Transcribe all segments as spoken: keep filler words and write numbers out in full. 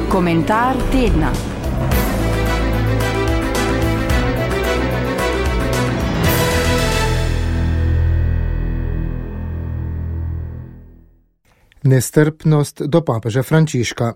Komentar tedna. Nestrpnost do papeža Frančiška.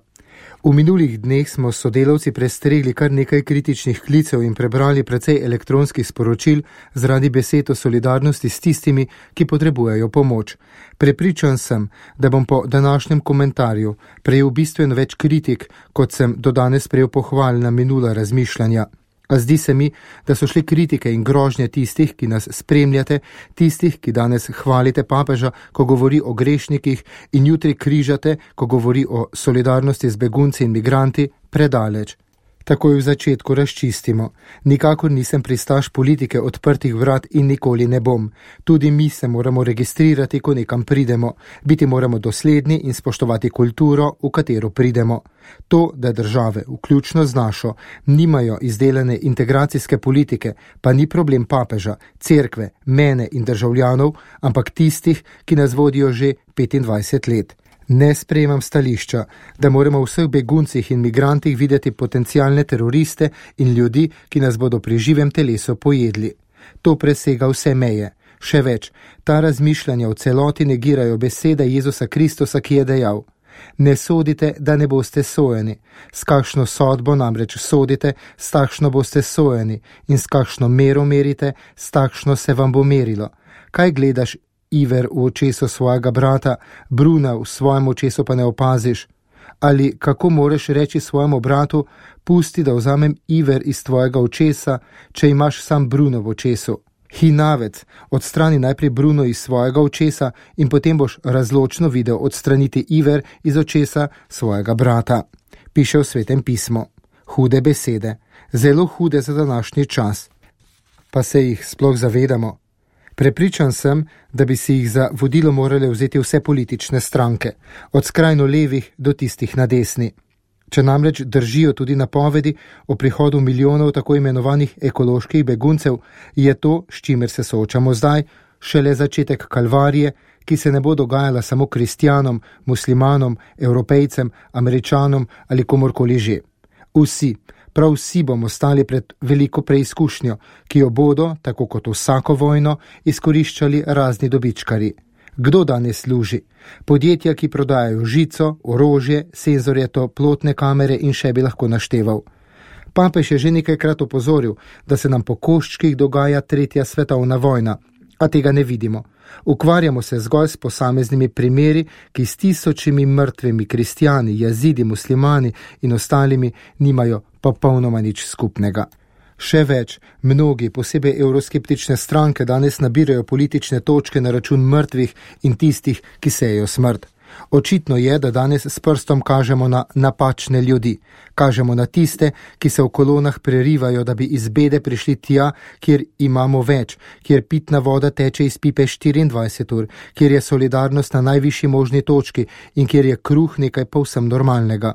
V minulih dneh smo s sodelavci prestregli kar nekaj kritičnih klicev in prebrali precej elektronskih sporočil zaradi besed o solidarnosti s tistimi, ki potrebujejo pomoč. Prepričan sem, da bom po današnjem komentarju prejel bistveno več kritik, kot sem do danes prejel pohval na minula razmišljanja. A zdi se mi, da so šli kritike in grožnje tistih, ki nas spremljate, tistih, ki danes hvalite papeža, ko govori o grešnikih, in jutri križate, ko govori o solidarnosti z begunci in migranti, predaleč. Takoj v začetku razčistimo. Nikakor nisem pristaš politike odprtih vrat in nikoli ne bom. Tudi mi se moramo registrirati, ko nekam pridemo. Biti moramo dosledni in spoštovati kulturo, v katero pridemo. To, da države, vključno z našo, nimajo izdelane integracijske politike, pa ni problem papeža, cerkve, mene in državljanov, ampak tistih, ki nas vodijo že petindvajset let. Ne sprejemam stališča, da moramo v vseh beguncih in migrantih videti potencialne teroriste in ljudi, ki nas bodo pri živem telesu pojedli. To presega vse meje. Še več, ta razmišljanja v celoti negirajo besede Jezusa Kristusa, ki je dejal: ne sodite, da ne boste sojeni. S kakšno sodbo namreč sodite, s takšno boste sojeni, in s kakšno mero merite, s takšno se vam bo merilo. Kaj gledaš iver v očesu svojega brata, bruna v svojem očesu pa ne opaziš? Ali kako moreš reči svojemu bratu: pusti, da vzamem iver iz tvojega očesa, če imaš sam bruno v očesu? Hinavec, odstrani najprej bruno iz svojega očesa in potem boš razločno videl odstraniti iver iz očesa svojega brata. Piše v Svetem pismu. Hude besede, zelo hude za današnji čas. Pa se jih sploh zavedamo? Prepričan sem, da bi si jih za vodilo morale vzeti vse politične stranke, od skrajno levih do tistih na desni. Če namreč držijo tudi napovedi o prihodu milijonov tako imenovanih ekoloških beguncev, je to, s čimer se soočamo zdaj, šele začetek kalvarije, ki se ne bo dogajala samo kristjanom, muslimanom, evropejcem, Američanom ali komorkoli že. Vsi, prav vsi bomo stali pred veliko preizkušnjo, ki jo bodo, tako kot vsako vojno, izkoriščali razni dobičkarji. Kdo danes služi? Podjetja, ki prodajajo žico, orožje, senzorje, toplotne kamere in še bi lahko našteval. Papež je že nekajkrat opozoril, da se nam po koščkih dogaja tretja svetovna vojna, a tega ne vidimo. Ukvarjamo se zgolj s posameznimi primeri, ki s tisočimi mrtvimi kristjani, jazidi, muslimani in ostalimi nimajo popolnoma nič skupnega. Še več, mnogi, posebej evroskeptične stranke, danes nabirajo politične točke na račun mrtvih in tistih, ki sejejo smrt. Očitno je, da danes s prstom kažemo na napačne ljudi. Kažemo na tiste, ki se v kolonah prerivajo, da bi iz bede prišli tja, kjer imamo več, kjer pitna voda teče iz pipe štiriindvajset ur, kjer je solidarnost na najvišji možni točki in kjer je kruh nekaj povsem normalnega.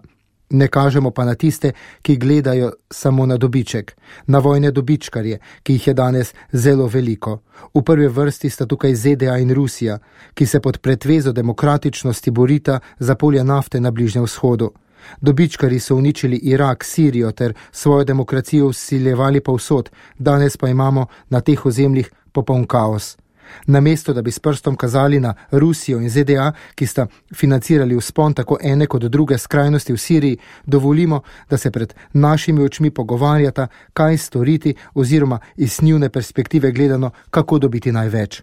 Ne kažemo pa na tiste, ki gledajo samo na dobiček, na vojne dobičkarje, ki jih je danes zelo veliko. V prvi vrsti sta tukaj Z D A in Rusija, ki se pod pretvezo demokratičnosti borita za polja nafte na Bližnjem vzhodu. Dobičkarji so uničili Irak, Sirijo ter svojo demokracijo vsiljevali povsod, danes pa imamo na teh ozemljih popoln kaos. Namesto, da bi s prstom kazali na Rusijo in Z D A, ki sta financirali vzpon tako ene kot druge skrajnosti v Siriji, dovolimo, da se pred našimi očmi pogovarjata, kaj storiti oziroma iz njune perspektive gledano, kako dobiti največ.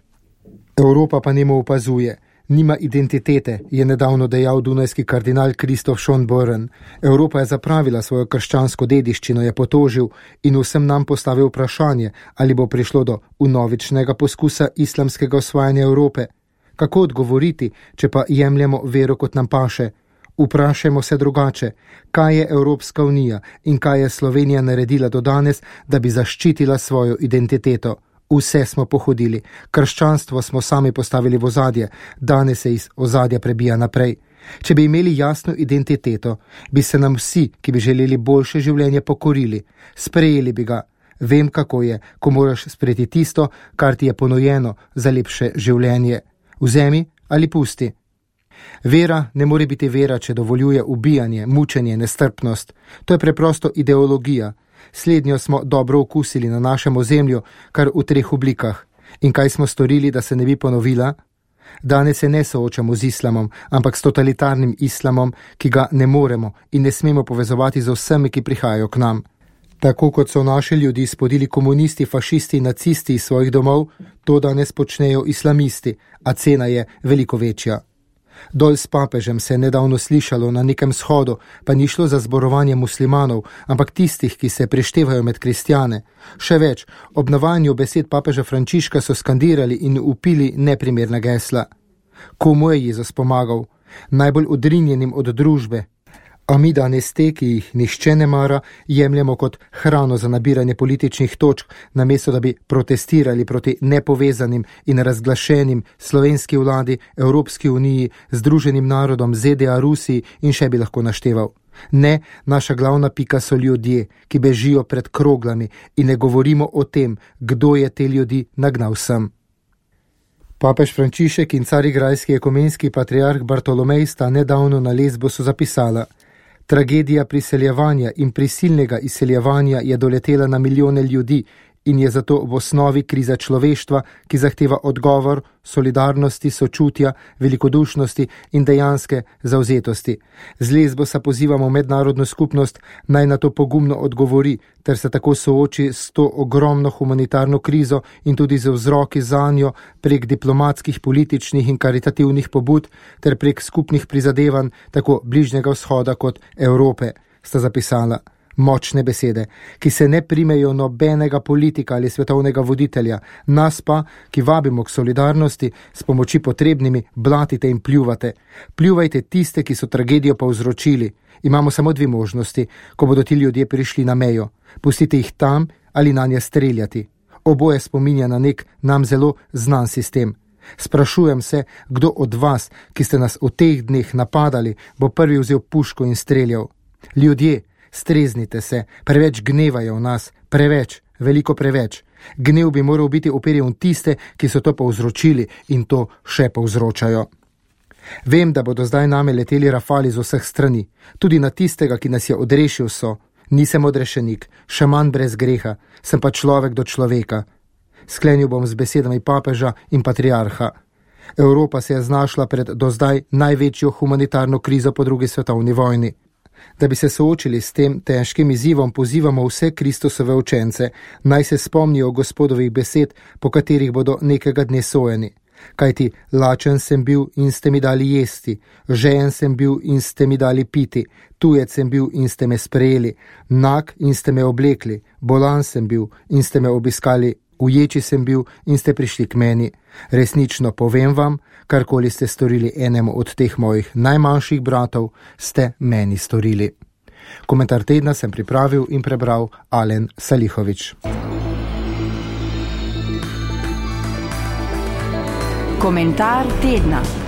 Evropa pa nemo opazuje. Nima identitete, je nedavno dejal dunajski kardinal Kristof Schonborn. Evropa je zapravila svojo krščansko dediščino, je potožil in vsem nam postavil vprašanje, ali bo prišlo do vnovičnega poskusa islamskega osvajanja Evrope. Kako odgovoriti, če pa jemljemo vero kot nam paše? Vprašajmo se drugače, kaj je Evropska unija in kaj je Slovenija naredila do danes, da bi zaščitila svojo identiteto. Vse smo pohodili, krščanstvo smo sami postavili v ozadje, danes se iz ozadja prebija naprej. Če bi imeli jasno identiteto, bi se nam vsi, ki bi želeli boljše življenje, pokorili, sprejeli bi ga. Vem, kako je, ko moraš sprejeti tisto, kar ti je ponujeno za lepše življenje. Vzemi ali pusti. Vera ne more biti vera, če dovoljuje ubijanje, mučenje, nestrpnost. To je preprosto ideologija. Slednjo smo dobro okusili na našem ozemlju, kar v treh oblikah. In kaj smo storili, da se ne bi ponovila? Danes se ne soočamo z islamom, ampak s totalitarnim islamom, ki ga ne moremo in ne smemo povezovati z vsemi, ki prihajajo k nam. Tako kot so naše ljudi spodili komunisti, fašisti in nacisti iz svojih domov, to danes počnejo islamisti, a cena je veliko večja. Dol s papežem se je nedavno slišalo na nekem shodu, pa ni šlo za zborovanje muslimanov, ampak tistih, ki se preštevajo med kristjane. Še več, ob navajanju besed papeža Frančiška so skandirali in upili neprimerna gesla. Komu je Jezus pomagal? Najbolj odrinjenim od družbe. A mi danes te, ki jih nihče ne mara, jemljemo kot hrano za nabiranje političnih točk, namesto da bi protestirali proti nepovezanim in razglašenim slovenski vladi, Evropski uniji, Združenim narodom, Z D A, Rusiji in še bi lahko našteval. Ne, naša glavna pika so ljudje, ki bežijo pred kroglami in ne govorimo o tem, kdo je te ljudi nagnal sem. Papež Frančišek in carigrajski ekumenski patriarh Bartolomej sta nedavno na Lesbosu zapisala: Tragedija priseljevanja in prisilnega izseljevanja je doletela na milijone ljudi in je zato v osnovi kriza človeštva, ki zahteva odgovor, solidarnosti, sočutja, velikodušnosti in dejanske zavzetosti. Z Lesbosa pozivamo mednarodno skupnost, naj na to pogumno odgovori, ter se tako sooči s to ogromno humanitarno krizo in tudi z vzroki zanjo prek diplomatskih, političnih in karitativnih pobud ter prek skupnih prizadevanj tako Bližnjega vzhoda kot Evrope, sta zapisala. Močne besede, ki se ne primejo nobenega politika ali svetovnega voditelja, nas pa, ki vabimo k solidarnosti, s pomoči potrebnimi blatite in pljuvate. Pljuvajte tiste, ki so tragedijo povzročili. Imamo samo dve možnosti, ko bodo ti ljudje prišli na mejo. Pustite jih tam ali na nje streljati. Oboje spominja na nek nam zelo znan sistem. Sprašujem se, kdo od vas, ki ste nas v teh dneh napadali, bo prvi vzel puško in streljal. Ljudje, streznite se, preveč gnevajo v nas, preveč, veliko preveč. Gnev bi moral biti uperjen v tiste, ki so to povzročili in to še povzročajo. Vem, da bodo zdaj name leteli rafali z vseh strani, tudi na tistega, ki nas je odrešil so. Nisem odrešenik, šaman brez greha, sem pa človek do človeka. Sklenil bom z besedami papeža in patriarha. Evropa se je znašla pred do zdaj največjo humanitarno krizo po drugi svetovni vojni. Da bi se soočili s tem težkim izzivom, pozivamo vse Kristusove učence, naj se spomnijo Gospodovih besed, po katerih bodo nekega dne sojeni. Kajti lačen sem bil in ste mi dali jesti, žejen sem bil in ste mi dali piti, tujec sem bil in ste me sprejeli, nag in ste me oblekli, bolan sem bil in ste me obiskali, uječi sem bil in ste prišli k meni. Resnično povem vam, karkoli ste storili enemu od teh mojih najmanjših bratov, ste meni storili. Komentar tedna sem pripravil in prebral Alen Salihovič. Komentar tedna.